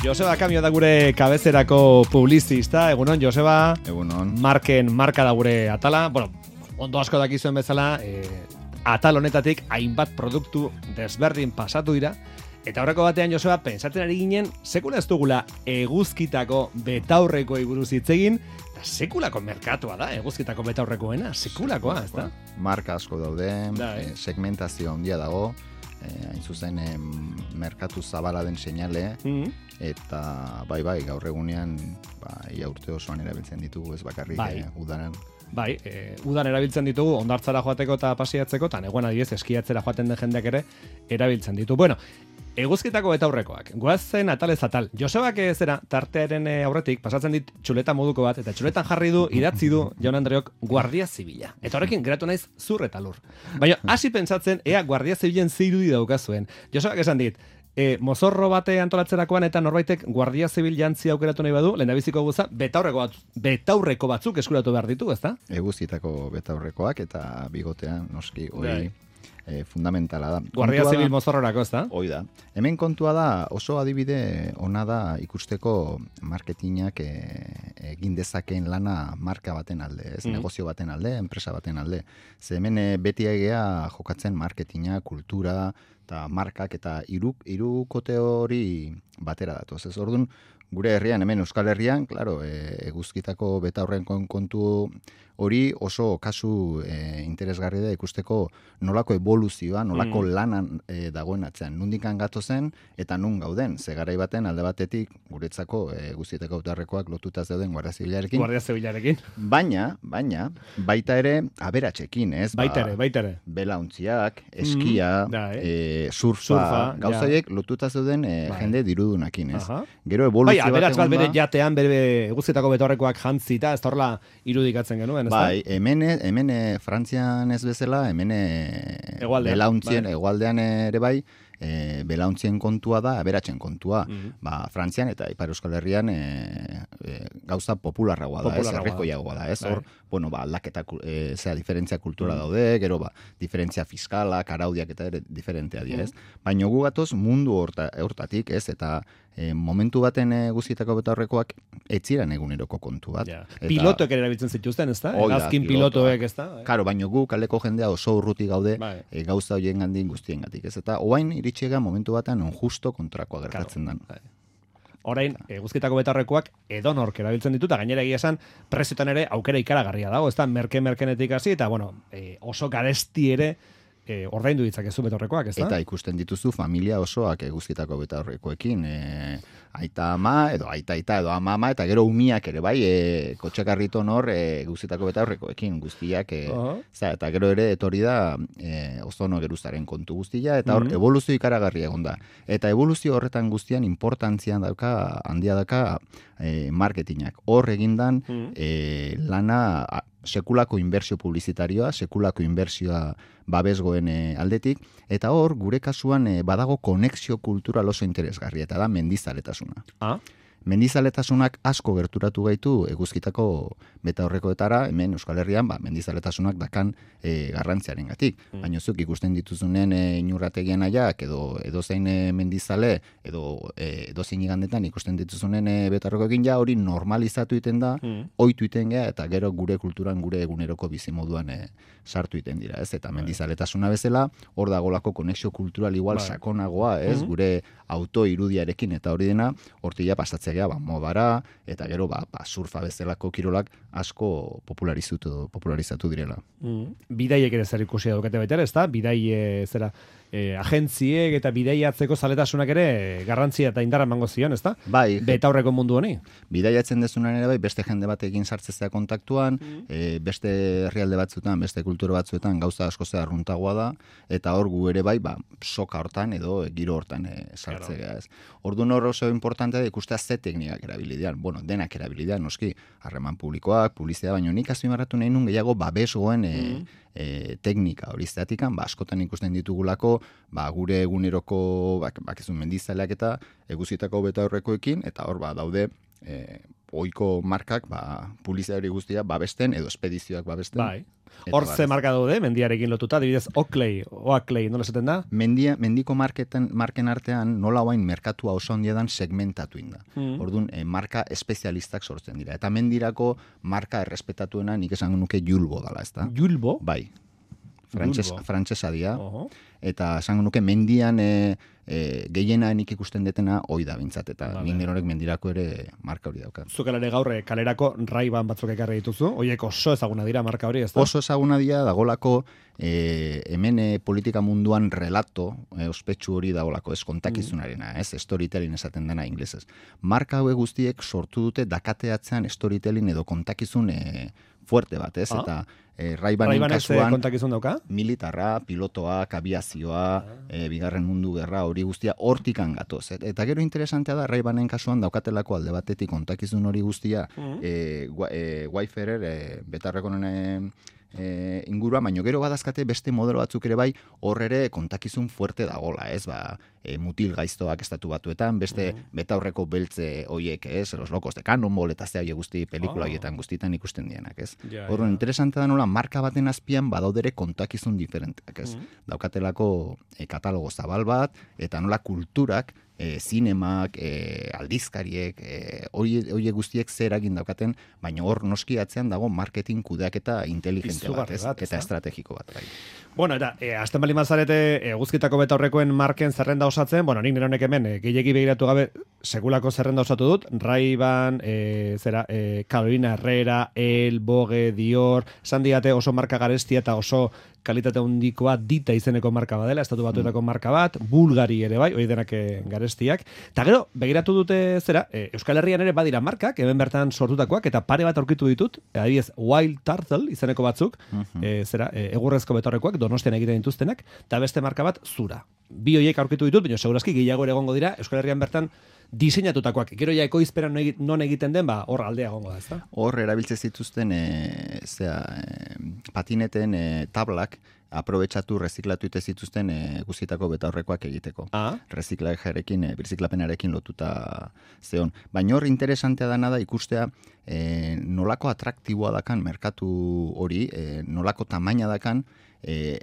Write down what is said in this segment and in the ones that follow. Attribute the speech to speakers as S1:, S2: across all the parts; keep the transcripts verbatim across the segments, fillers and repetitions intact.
S1: Joseba Kamio da gure kabezerako publizista. Egunon, Joseba.
S2: Egunon.
S1: Marken marka da gure atala. Bueno, ondo asko dakizuen bezala, eh, atal honetatik hainbat produktu desberdin pasatu dira. Eta horreko batean, Joseba, pentsatzen ari ginen, sekula ez dugula eguzkitako betaurrekoei buruz hitz egin, eta sekulako merkatua da, eguzkitako betaurrekoena, sekulakoa, ez da?
S2: Marka asko daude,
S1: da, eh?
S2: segmentazio handia dago, eh, hain zuzen eh, merkatu zabala den seinale, mm-hmm. eta bai bai, gaur egunean, ba, ia urte osoan erabiltzen ditugu, ez bakarrik bai. eh, udaran.
S1: Bai, e, udan erabiltzen ditugu, ondartzara joateko eta pasiatzeko, eta negoen adiez, eskiatzera joaten den jendeak ere erabiltzen ditu. Bueno, eguzkitako betaurrekoak, goazen atalez atal. Josebak zera, tartearen aurretik, pasatzen dit txuleta moduko bat, eta txuletan jarri du, idatzi du, Jaun Andreok, Guardia Zibila. Eta horrekin, geratu naiz, zur eta lur. Baina, hasi pentsatzen, ea Guardia Zibilen zirudi daukazuen. Josebak esan dit, E, mozorro bate antolatzerakoan eta norbaitek Guardia Zibil jantzi aukeratu nahi badu, lehendabiziko guza, betaurreko, batzu, betaurreko batzuk eskuratu behar ditu, ezta?
S2: Eguzkitako betaurrekoak eta bigotean, noski, hori e, fundamentala da.
S1: Guardia Zibil mozorrorako, ezta?
S2: Hoi da. Hemen kontua da, oso adibide ona da ikusteko marketingak e, egin dezakeen lana marka baten alde, ez? Mm. Negozio baten alde, enpresa baten alde. Ze hemen e, beti egea jokatzen marketinga, kultura, eta markak eta hiru hirukote hori batera datoz. Ez orduan, gure herrian, hemen Euskal Herrian, claro, e, eguzkitako betaurren kontu hori oso kasu e, interesgarri da ikusteko nolako evoluzioa, nolako mm. lanan e, dagoen atzean. Nundikan gatozen eta nun gauden. Ze garai baten alde batetik guretzako eguzkitako betaurrekoak lotuta zeuden Guardia Zibilarekin.
S1: Guardia Zibilarekin.
S2: Baina, baina, baita ere aberatsekin, ez?
S1: Baita ere, baita ere.
S2: Belauntziak, eskia, mm. da, eh? e, surfa, surfa gauzaiek ja. Lotuta zeuden e, jende dirudunakin, ez? Aha. Gero evoluzio
S1: bai, aberats bat bere jatean, bere eguzkitako betaurrekoak jantzita, ez da horrela irudikatzen genuen, ez da?
S2: Bai, hemen, hemen Frantzian ez bezala, hemen belauntzien, bai. Egualdean ere bai, e, belauntzien kontua da, aberatzen kontua. Mm-hmm. Ba, Frantzian eta Ipar Euskal Herrian e, e, gauza popularragoa da, ez, errekoiagoa da, ez, hor, bueno, ba, aldaketa, e, zera, diferentzia kultura mm-hmm. daude, gero, ba, diferentzia fiskalak, araudiak eta ere diferentea dira, ez. Mm-hmm. Baina gu gatoz mundu horta, hortatik, ez, eta E, momentu baten eguzkitako betaurrekoak etziran eguneroko kontu bat.
S1: Ja. Eta, pilotoek ere erabiltzen zituzten, ez da? Azkin pilotoek, ez da?
S2: Karo, baina gu kaleko jendea oso urruti gaude e, gauza horien gandin guztien gatik, ez? Eta oain iritxiega momentu batean on justo kontrakoa gertatzen den.
S1: Orain, eguzkitako betaurrekoak edonork erabiltzen ditu, eta gainera egia esan, preziotan ere aukera ikaragarria dago, ez da? Merke-merkenetik hasi, eta bueno, e, oso garesti ere E, ordaindu ditzakezu betaurrekoak, ez da?
S2: Eta ikusten dituzu familia osoak eguzkitako betaurrekoekin, e, aita ama, edo aita aita, edo ama ama, eta gero umiak ere, bai, e, kotxekarriton hor e, eguzkitako betaurrekoekin guztiak, e, uh-huh. za, eta gero ere etorri da e, ozono geruzaren kontu guztia, eta hor, uh-huh. evoluzio ikaragarria egon da. Eta evoluzio horretan guztian importantzian dauka, handia dauka e, marketingak. Hor egindan uh-huh. e, lana a, sekulako inbertsio publizitarioa, sekulako inbertsioa babesgoen e, aldetik, eta hor, gure kasuan e, badago konexio kultural oso interesgarria, eta da mendizaletasuna. Ah? Mendizaletasunak asko gerturatu gaitu eguzkitako betaurrekoetara, hemen Euskal Herrian, ba, mendizaletasunak dakan e, garrantziaren gatik. Mm. Baina zuk ikusten dituzunen e, inurrategian aiak, edo edozein e, mendizale, edo e, edozein igandetan ikusten dituzunen e, betaurrekoekin ja hori normalizatu iten da, mm. ohitu iten gea, eta gero gure kulturan, gure eguneroko bizimoduan e, sartu iten dira, ez? Eta mendizaletasuna bezala, hor dagolako konexio kultural igual Bye. Sakonagoa, ez? Mm-hmm. Gure auto irudiarekin, eta hori dena, hortila pasatzea gea, ba, modara, eta gero, ba, ba, surfa bezalako kirolak asko popularizatu, popularizatu direla. Mm.
S1: Bidaiek ere zer ikusia daukate baita ere, ez da? Bidai, e, zera, e, agentziek eta bidaiatzeko zaletasunak ere garrantzia eta indarra emango zion, ez da?
S2: Bai.
S1: Betaurreko mundu honi.
S2: Bidaiatzen dezunan ere bai, beste jende batekin sartzezea kontaktuan, mm. e, beste herrialde batzuetan, beste kultura batzuetan gauza asko ze arruntagoa da, eta hor gu ere bai, ba, soka hortan edo giro hortan e, sartzea, ez. Orduan hor oso importantea da ikustea ze teknikak erabilidean, bueno, denak erabilidean, noski, harreman publikoak, publizitatea, baina nik azpimarratu nahi nun gehiago babesgoen e, mm. e, teknika hori zeatikan, ba, askotan ikusten ditugulako, ba, gure eguneroko, bak, bakizun mendizaleak eta eguzitako betaurrekoekin, eta hor, ba, daude, e, ohiko markak, ba, publizidari guztia babesten, edo espedizioak babesten.
S1: Bai. Hor ze marka daude, mendiarekin lotuta, adibidez, Oakley, Oakley, nola esaten da?
S2: Mendia, mendiko marketen, marken artean nola guain merkatua oso handiedan segmentatu inda. Mm. Orduan, eh, marka espezialistak sortzen dira. Eta mendirako marka errespetatuena nik esango nuke Julbo dala, ez da?
S1: Julbo?
S2: Bai. Frantses, frantsesa dia. Uh-huh. Eta esango nuke mendian e, e, gehiena nik ikusten detena hoi da bintzat, eta vale. Nik nerorek mendirako ere marka hori daukat.
S1: Zukelare gaurre kalerako Ray-Ban batzuk ekarri dituzu, horiek oso ezaguna dira marka hori, ez da?
S2: Oso ezaguna dira dagolako e, hemen e, politika munduan relato, e, ospetsu hori dagolako, ez kontakizunarena, ez storytelling esaten dena inglesez. Marka hauek guztiek sortu dute dakateatzean storytelling edo kontakizun e, fuerte bat, ez? Ah? Eta e, Ray-Banen kasuan
S1: kontakizun dauka?
S2: Militarra, pilotoak, abiazioa, ah. e, bigarren mundu gerra hori guztia hortikan gatoz. Et, eta gero interesantea da Ray-Banen kasuan daukatelako alde batetik kontakizun hori guztia mm. e, e, Wayfarer, e, betarrekonen e, ingurua, baino gero badazkate beste modelo batzuk ere bai hor ere kontakizun fuerte dagola, ez? Ba, e, mutil gaiztoak estatu batuetan, beste mm. betaurreko beltze hoiek, ez? Los locos de Cannonball eta ze hoiek guzti pelikula hoietan oh. guztietan ikusten dienak, ez? Yeah, Horren yeah. interesante da nola marka baten azpian badaudere kontakizun diferenteak, ez? Mm. Daukatelako e, katalogo zabal bat eta nola kulturak E, zinemak, e, aldizkariek, hori e, guztiek zer eragin daukaten, baina hor noski atzean dago marketing kudeaketa inteligente bat, ez? Bat, eta estrategiko bat. Bai.
S1: Bueno, eta, e, azten bali mazarete, e, guzkitako betaurrekoen marken zerrenda osatzen, bueno, nik neronek hemen, e, gehiagi begiratu gabe, sekulako zerrenda osatu dut, Ray-Ban, e, zera, e, Carolina Herrera, El, Vogue, Dior, esan diate oso marka garestia eta oso kalitate handikoa dita izeneko marka badela, estatu batuetako mm. marka bat, Bulgari ere bai, hori denak garestiak. Eta gero, begiratu dute zera, e, Euskal Herrian ere badira markak, hemen bertan sortutakoak, eta pare bat aurkitu ditut, adibidez, Wild Turtle izeneko batzuk, mm-hmm. e, zera, e, egurrezko betorrekoak, Donostian egiten dituztenak, eta beste marka bat, Zura. Bi horiek aurkitu ditut, baina segurazki gehiago ere egongo dira, Euskal Herrian bertan diseinatutakoak. Gero ja ekoizperan non egiten den, ba, hor aldea egongo da, ezta?
S2: Hor erabiltze zituzten e, zera, e, patineten e, tablak aprobetxatu, reziklatu ite zituzten e, guztietako betaurrekoak egiteko. Ah? Reziklajerekin, e, birziklapenarekin lotuta zeon. Baina hor interesantea dana da ikustea e, nolako atraktiboa dakan merkatu hori, e, nolako tamaina dakan, e,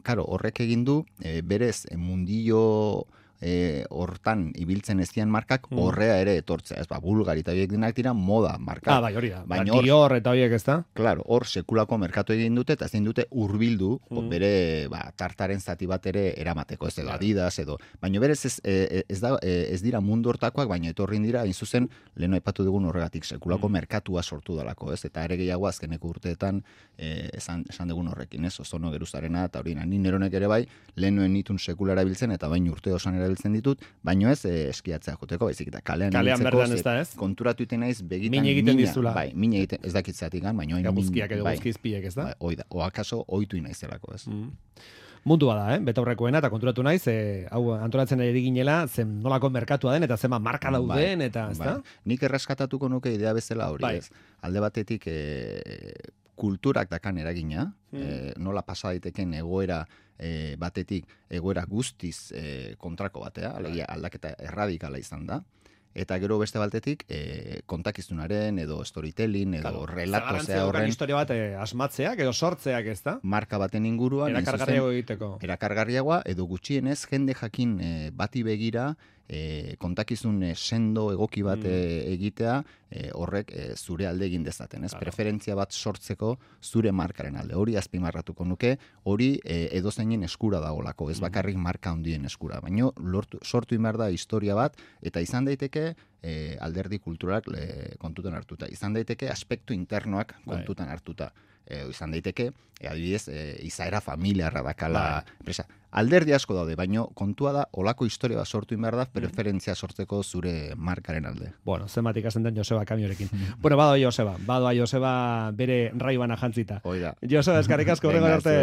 S2: karo, horrek egin du, e, berez, e, mundillo E, hortan ibiltzen ez dian markak mm. horrea ere etortzea, ez ba, Bulgari eta horiek dinak dira moda markak.
S1: Ah, bai, hori da. Baina hor, Dior eta horiek ez da?
S2: Claro, hor sekulako merkatu egin dute eta ezin dute hurbildu mm. bere ba, tartaren zati bat ere eramateko, ez edo Adidas edo, baina berez ez, ez, da, ez dira mundu hortakoak, baina etorrin dira, hain zuzen, leheno aipatu dugun horregatik, sekulako mm. merkatua sortu dalako, ez? Eta ere gehiago azkeneko urteetan e, esan, esan dugun horrekin, ez? Ozono geruzarena eta hori ni neronek ere bai, lehenoen nitun sekula erabiltzen eta bain urte osan erabiltzen ditut, baino ez eh, eskiatzea joteko, baizik eta kalean
S1: kalean berdan ez da, ez?
S2: Konturatu iten naiz begitan
S1: min egiten dizula.
S2: Bai, min egiten, ez dakitzatik gan, baino
S1: guzkiak edo guzkizpiek, ez da?
S2: Bai, oi da, o akaso ohitu naizelako, ez?
S1: Mm. Mundua da, eh? Betaurrekoena, eta konturatu naiz, eh, hau antolatzen ari ginela, zen nolako merkatua den, eta zema marka dauden, bai, eta ez bai. Da?
S2: Nik erreskatatuko nuke idea bezala hori, bai. Ez? Alde batetik eh, kulturak dakan eragina, hmm. eh, nola pasa daiteken egoera e, batetik egoera guztiz e, kontrako batea, alegia aldaketa erradikala izan da, eta gero beste baltetik e, kontakizunaren edo storytelling edo claro. Relato zea horren
S1: historia bat e, asmatzeak edo sortzeak, ez da?
S2: Marka baten inguruan
S1: erakargarriago egiteko.
S2: Erakargarriagoa edo gutxienez jende jakin e, bati begira E, kontakizun e, sendo egoki bat mm. e, egitea e, horrek e, zure alde egin dezaten, ez? Claro. Preferentzia bat sortzeko zure markaren alde. Hori azpimarratuko nuke, hori e, edozeinen eskura dagoelako, ez bakarrik marka handien eskura. Baina lortu, sortu inbar da historia bat, eta izan daiteke e, alderdi kulturak e, kontutan hartuta. Izan daiteke aspektu internoak kontutan hartuta. E, izan daiteke, e, adibidez, e, izaera familiarra dakala enpresa. Alderdi asko daude, baino kontua da, olako historia bat sortu inbar da, preferentzia sortzeko zure markaren alde.
S1: Bueno, zenbat ikasen den Joseba kamiorekin. Bueno, badoa Joseba, badoa Joseba bere Ray-Bana jantzita.
S2: Oida.
S1: Joseba, eskarrik asko horrengo arte.